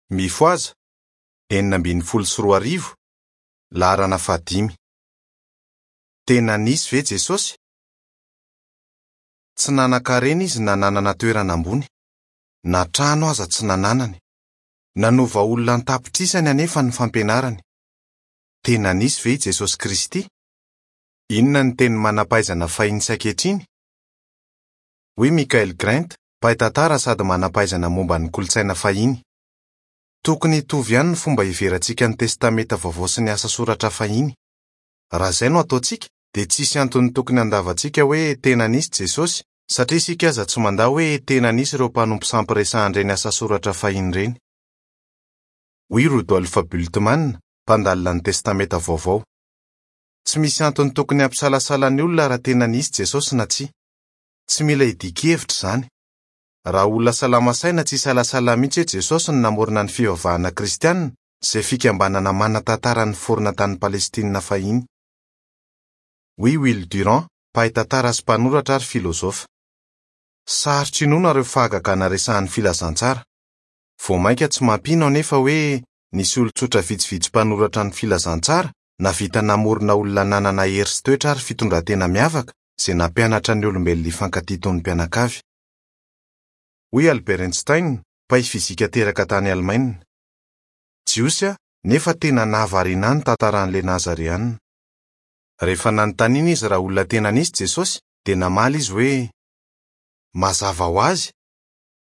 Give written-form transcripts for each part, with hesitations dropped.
Mifohaza! 2016, laharana fahadimy. Tena nisy ve Jesosy? Tsy nanan-karena izy na nanana toerana ambony. Na trano aza tsy nananany. Nanova olona an-tapitrisany anefa ny fampianarany. Tena nisy ve i Jesosy Kristy? Inona ny tenin'ny manam-pahaizana fahiny sy ankehitriny? Hoy Michael Grant, mpahay tantara sady manam-pahaizana momba ny kolontsaina fahiny, Tokony hitovy ihany ny fomba hiheverantsika ny Testamenta Vaovao sy ny asa soratra fahiny. Raha izay no ataontsika, dia tsy hisy antony tokony handavantsika hoe tena nisy Jesosy, satria isika aza tsy mandà hoe tena nisy ireo mpanompo sampy resahan'ireny asa soratra fahiny ireny. Hoy Rudolf Bultmann, mpandalina ny Testamenta Vaovao, Tsy misy antony tokony hampisalasala ny olona raha tena nisy Jesosy na tsia. Tsy mila idian-kevitra izany. Raha olona salama saina tsy hisalasala mihitsy hoe Jesosy no namorona ny fivavahana kristiana, izay fikambanana manan-tantara niforona tany Palestina fahiny. Hoy Will Durant, mpahay tantara sy mpanoratra ary filozofa. Sarotra inoana ireo fahagagana resahin'ny Filazantsara. Vao mainka tsy mampino anefa hoe nisy olon-tsotra vitsivitsy mpanoratra ny Filazantsara nahavita namorona olona nanana hery sy toetra ary fitondran-tena miavaka izay nampianatra ny olombelona hifankatia toy ny mpianakavy. Hoy Albert Einstein, mpahay fizika teraka tany Alemaina. Jiosy aho, nefa tena nahavariana ahy ny tantaran'ilay Nazareana. Rehefa nanontaniana izy raha olona tena nisy Jesosy, dia namaly izy hoe, Mazava ho azy!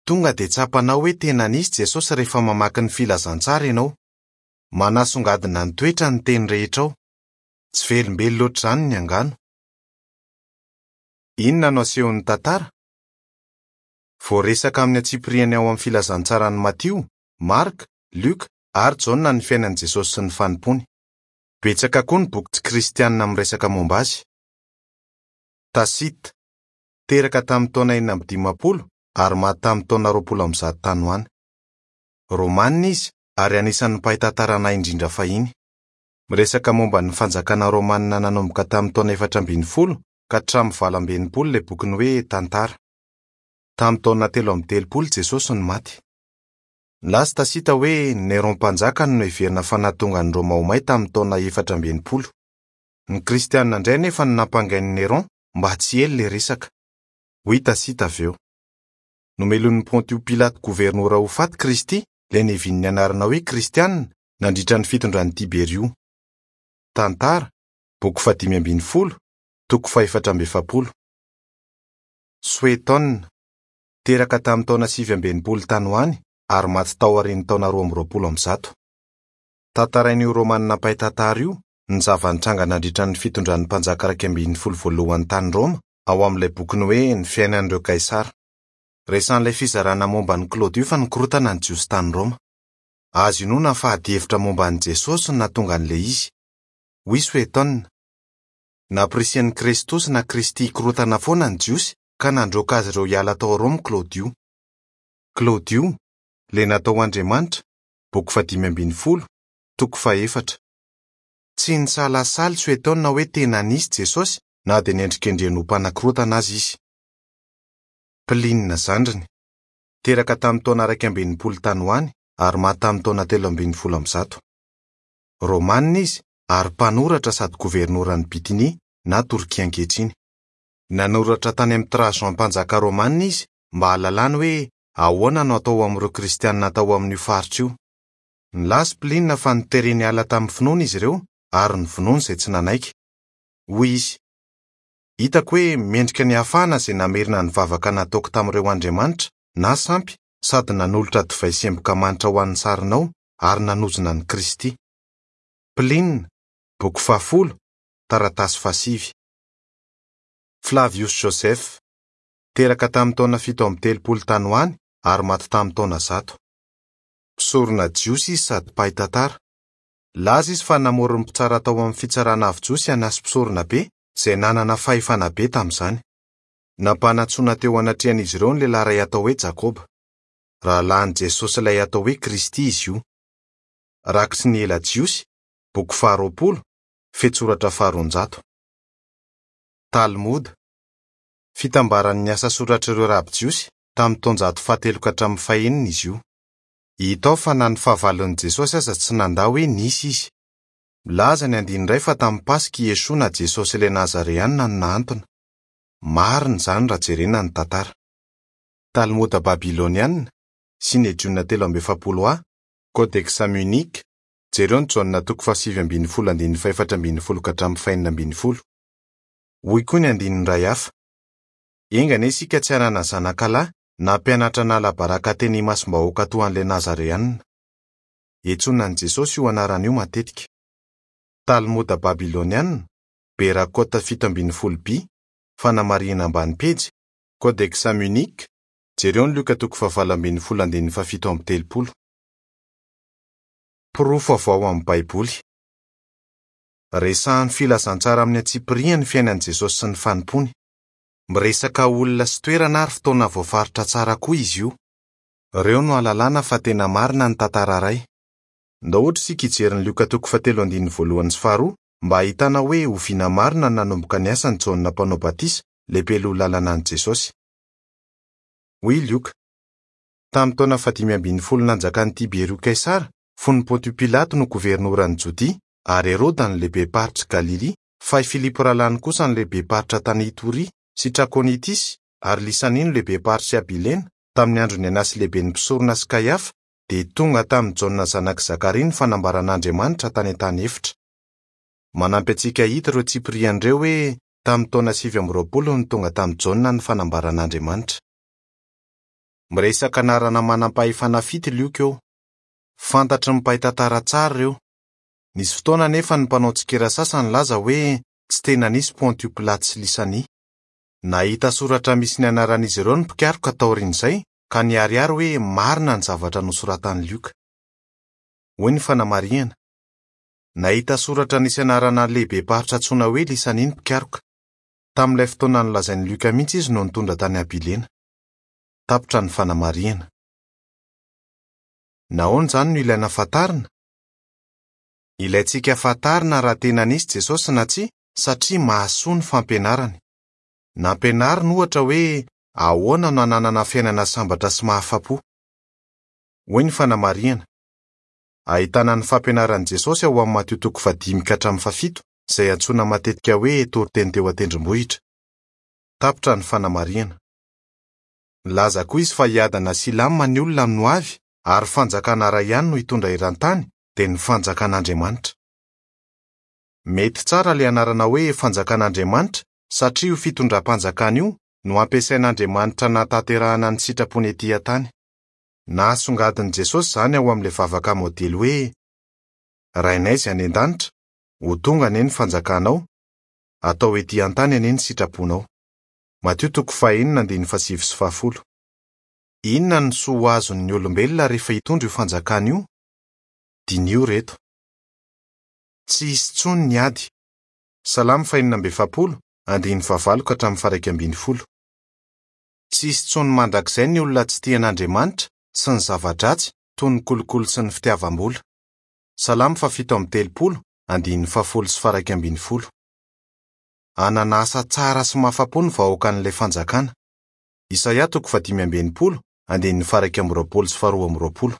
Tonga dia tsapanao hoe tena nisy Jesosy rehefa mamaky ny Filazantsara ianao. Manasongadina ny toetrany ny teny rehetra ao. Tsy velombelona hoatr'izany ny angano. Inona no asehon'ny tantara? Voaresaka amin'ny antsipiriany ao amin'ny Filazantsaran'i Matio, Marka, Lioka, ary Jaona ny fiainan'i Jesosy sy ny fanompoany. Betsaka koa ny boky tsy kristianina miresaka momba azy. Tacite, teraka tamin'ny taona 56 ary maty tamin'ny taona 120 tany ho any. Romanina izy ary anisan'ny mpahay tantara nahay indrindra fahiny. Miresaka momba ny fanjakana romanina nanomboka tamin'ny taona 14 ka hatramin'ny 68 ilay bokiny hoe Tantara. Tamin'ny taona 33 Jesosy no maty. Nilaza Tacite hoe Néron Mpanjaka no noheverina fa nahatonga an'i Roma ho may tamin'ny taona 64. Ny Kristianina indray anefa no nampangain'i Néron mba tsy hiely ilay resaka. Hoy Tacite avy eo. Nomelohin'i Pontio Pilato governora ho faty Kristy, ilay niavian'ny anarana hoe Kristianina, nandritra ny fitondran'i Tiberio. Tantara, boky fahadimy ambin'ny folo, toko fahefatra amby efapolo. Suétone, teraka tamin'ny taona 69 tany ho any ary maty taorian'ny taona 122. Tantarain'io Romanina mpahay tantara io ny zava-nitranga nandritra ny fitondran'ny mpanjaka 11 voalohany tany Roma ao amin'ilay bokiny hoe Ny Fiainan'ireo Kaisara. Resahin'ilay fizarana momba an'i Klaodio fa nikorontana ny Jiosy tany Roma. Azo inoana fa adihevitra momba an'i Jesosy no nahatonga an'ilay izy. Hoy Suétone, Nampirisihan'i Krestosy na Kristy hikorontana foana ny Jiosy ka nandroaka azy ireo hiala tao Roma Klaodio. Klaodio, ilay natao ho andriamanitra, boky fahadimy ambin'ny folo, toko fahefatra. Tsy nisalasala i Suétone hoe tena nisy Jesosy na dia nendrikendrehiny ho mpanakorontana aza izy. Pline zandriny. Teraka tamin'ny taona 61 tany ho any ary maty tamin'ny taona 113. Romanina izy ary mpanoratra sady governoran'i Bitynia na Torkia ankehitriny. Nanoratra tany amin'i Trajan mpanjaka romanina izy mba hahalalany hoe ahoana no atao amin'ireo Kristianina tao amin'io faritra io. Nilaza i Pline fa notereny hiala tamin'ny finoana izy ireo ary novonoiny izay tsy nanaiky. Hoy izy, Hitako hoe mendrika ny hahafahana izay namerina ny vavaka nataoko tamin'ireo andriamanitra na sampy sady nanolotra divay sy emboka manitra ho an'ny sarinao ary nanozona an'i Kristy. Pline, boky fahafolo, taratasy fahasivy. Flavius Josèphe, teraka tamin'ny taona 37 tany ho any ary maty tamin'ny taona 100. Mpisorona jiosy izy sady mpahay tantara. Nilaza izy fa namory ny mpitsara tao amin'ny Fitsarana Avo Jiosy Anasy Mpisoronabe, izay nanana fahefana be tamin'izany. Nampanantsoina teo anatrehan'izy ireo ny lehilahy iray atao hoe Jakoba. Rahalahin'i Jesosy ilay atao hoe Kristy izy io. Rakitry ny Ela Jiosy, boky faharoapolo, fehintsoratra faharoanjato. Talmoda. Fitambaran'ny asa soratr'ireo raby jiosy, tamin'ny taonjato fahatelo ka hatramin'ny fahenina izy io. Hita ao fa na ny fahavalon'i Jesosy aza tsy nandà hoe nisy izy. Milaza ny andininy iray fa tamin'ny Paska i Yeshua na Jesosy ilay Nazareana no nahantona. Marina izany raha jerena ny tantara. Talmoda Babyloniana, Synedriona 43 A, Kodeksa Munich, jereo ny Jaona toko fahasivy ambin'ny folo andininy faha-14 ka hatramin'ny faha-16. Hoy koa ny andininy iray hafa, Enga anie isika tsy hanana zanakalahy na mpianatra hanala baraka teny imasom-bahoaka toa an'ilay Nazareana. Iantsoana an'i Jesosy io anarana io matetika. Talmoda Babyloniana, Berakot 17 B, fanamarihana ambany pejy, Kodeksa Munich, jereo ny Lioka toko fahavalo ambin'ny folo andininy fahafito amby telopolo. Porofo avy ao amin'ny Baiboly. Resahin'ny Filazantsara amin'ny antsipiriany ny fiainan'i Jesosy sy ny fanompoany. Miresaka olona sy toerana ary fotoana voafaritra tsara koa izy io. Ireo no ahalalana fa tena marina ny tantara iray. Ndao ohatra isika hijery ny Lioka toko fahatelo andininy voalohany sy faharoa mba hahitana hoe oviana marina no nanomboka ny asan'i Jaona Mpanao Batisa, lehibe loha lalana an'i Jesosy. Hoy i Lioka, Tamin'ny taona fahadimy ambin'ny folo nanjakan'i Tiberio Kaisara, fony Pontio Pilato no governoran'i Jodia, ary Heroda no lehibem-paritr'i Galilia, fa i Filipo rahalahiny kosa no lehibem-paritra tany Itoria sy Trakonitisy, ary Lysania no lehibem-paritr'i Abilena, tamin'ny andron'i Anasy lehiben'ny mpisorona sy Kaiafa, dia tonga tamin'i Jaona zanak'i Zakaria ny fanambaran'Andriamanitra tany an-tany efitra. Manampy antsika hahita ireo tsipiriany ireo hoe tamin'ny taona 29 no tonga tamin'i Jaona ny fanambaran'Andriamanitra. Miresaka anarana manam-pahefana fito i Lioka eo. Fantatry ny mpahay tantara tsara ireo. Nisy fotoana anefa ny mpanao tsikera sasany nilaza hoe tsy tena nisy Pontio Pilato sy Lysania. Nahita soratra misy ny anaran'izy ireo ny mpikaroka taorian'izay, ka niharihary hoe marina ny zavatra nosoratan'i Lioka. Hoy ny fanamarihana, Nahita soratra nisy anarana lehibem-paritra antsoina hoe Lysania ny mpikaroka. Tamin'ilay fotoana nolazain'i Lioka mihitsy izy no nitondra tany Abilena. Tapitra ny fanamarihana. Nahoana izany no ilaina fantarina? Ilaintsika fantarina raha tena nisy Jesosy na tsia, satria mahasoa ny fampianarany. Nampianariny, ohatra, hoe ahoana no hananana fiainana sambatra sy mahafa-po. Hoy ny fanamarihana, Ahitana ny fampianaran'i Jesosy ao amin'ny Matio toko fahadimy ka hatramin'ny fahafito, izay antsoina matetika hoe Toriteny teo An-tendrombohitra. Tapitra ny fanamarihana. Nilaza koa izy fa hiadana sy hilamina ny olona amin'ny hoavy, ary fanjakana iray ihany no hitondra eran-tany, dia ny Fanjakan'Andriamanitra. Mety tsara ilay anarana hoe Fanjakan'Andriamanitra, satria io fitondram-panjakana io no ampiasain'Andriamanitra hanatanterahana ny sitrapony etỳ an-tany. Nahasongadin'i Jesosy izany ao amin'ilay vavaka modely hoe, Rainay izay any an-danitra, ho tonga anie ny fanjakanao, atao etỳ an-tany anie ny sitraponao. Matio toko fahenina andininy fahasivy sy fahafolo. Inona no soa ho azon'ny olombelona rehefa hitondra io fanjakana io? Diniho ireto. Tsy hisy intsony ny ady. Salamo fahenina amby efapolo, andininy fahavalo ka hatramin'ny faha-iraika ambin'ny folo. Tsy hisy intsony mandrakizay ny olona tsy tia an'Andriamanitra sy ny zava-dratsy toy ny kolikoly sy ny fitiavam-bola. Salamo fahafito amby telopolo, andininy fahafolo sy faha-iraika ambin'ny folo. Hanana asa tsara sy mahafa-po ny vahoakan'ilay Fanjakana. Isaia toko fahadimy amby enimpolo, andininy faha-21 sy faha-22.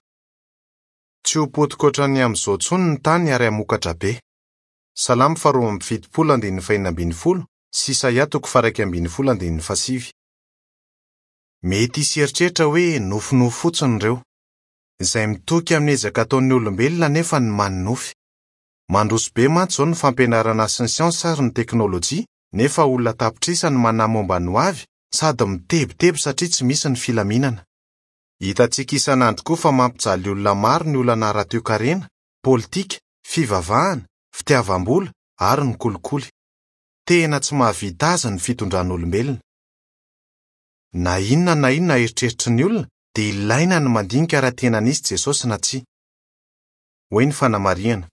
Tsy ho potika hoatran'ny amin'izao intsony ny tany ary hamokatra be. Salamo faharoa amby fitopolo andininy fahenina ambin'ny folo sy Isaia toko faha-11 andininy fahasivy. Mety hisy hieritreritra hoe nofinofy fotsiny ireo. Izay mitoky amin'ny ezaka ataon'ny olombelona anefa no manonofy. Mandroso be mantsy izao ny fampianarana sy ny siansa ary ny teknolojia, nefa olona an-tapitrisa no manahy momba ny hoavy sady mitebiteby satria tsy misy ny filaminana. Hitantsika isan'andro koa fa mampijaly olona maro ny olana ara-toekarena, politika, fivavahana, fitiavam-bola ary ny kolikoly. Tena tsy mahavita azy ny fitondran'olombelona. Na inona na inona eritreritry ny olona dia ilaina ny mandinika raha tena nisy Jesosy na tsia. Hoy ny fanamarihana,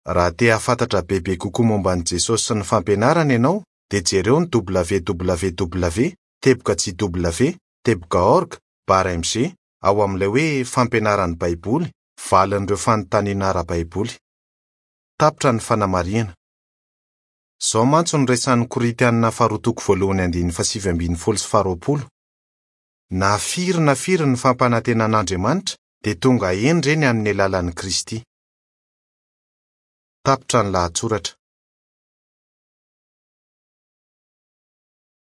Raha te hahafantatra bebe kokoa momba an'i Jesosy sy ny fampianarany ianao dia jereo ny www teboka jw teboka org barre mg ao amin'ilay hoe Fampianaran'ny Baiboly, Valin'ireo fanontaniana ara-baiboly. Tapitra ny fanamarihana. Izao mantsy no resahin'ny Korintianina faharoa toko voalohany andininy fahasivy ambin'ny folo sy faharoapolo, Na firy na firy ny fampanantenan'Andriamanitra, Dia tonga hendry ireny amin'ny alalan'i Kristy. Tapitra ny lahatsoratra.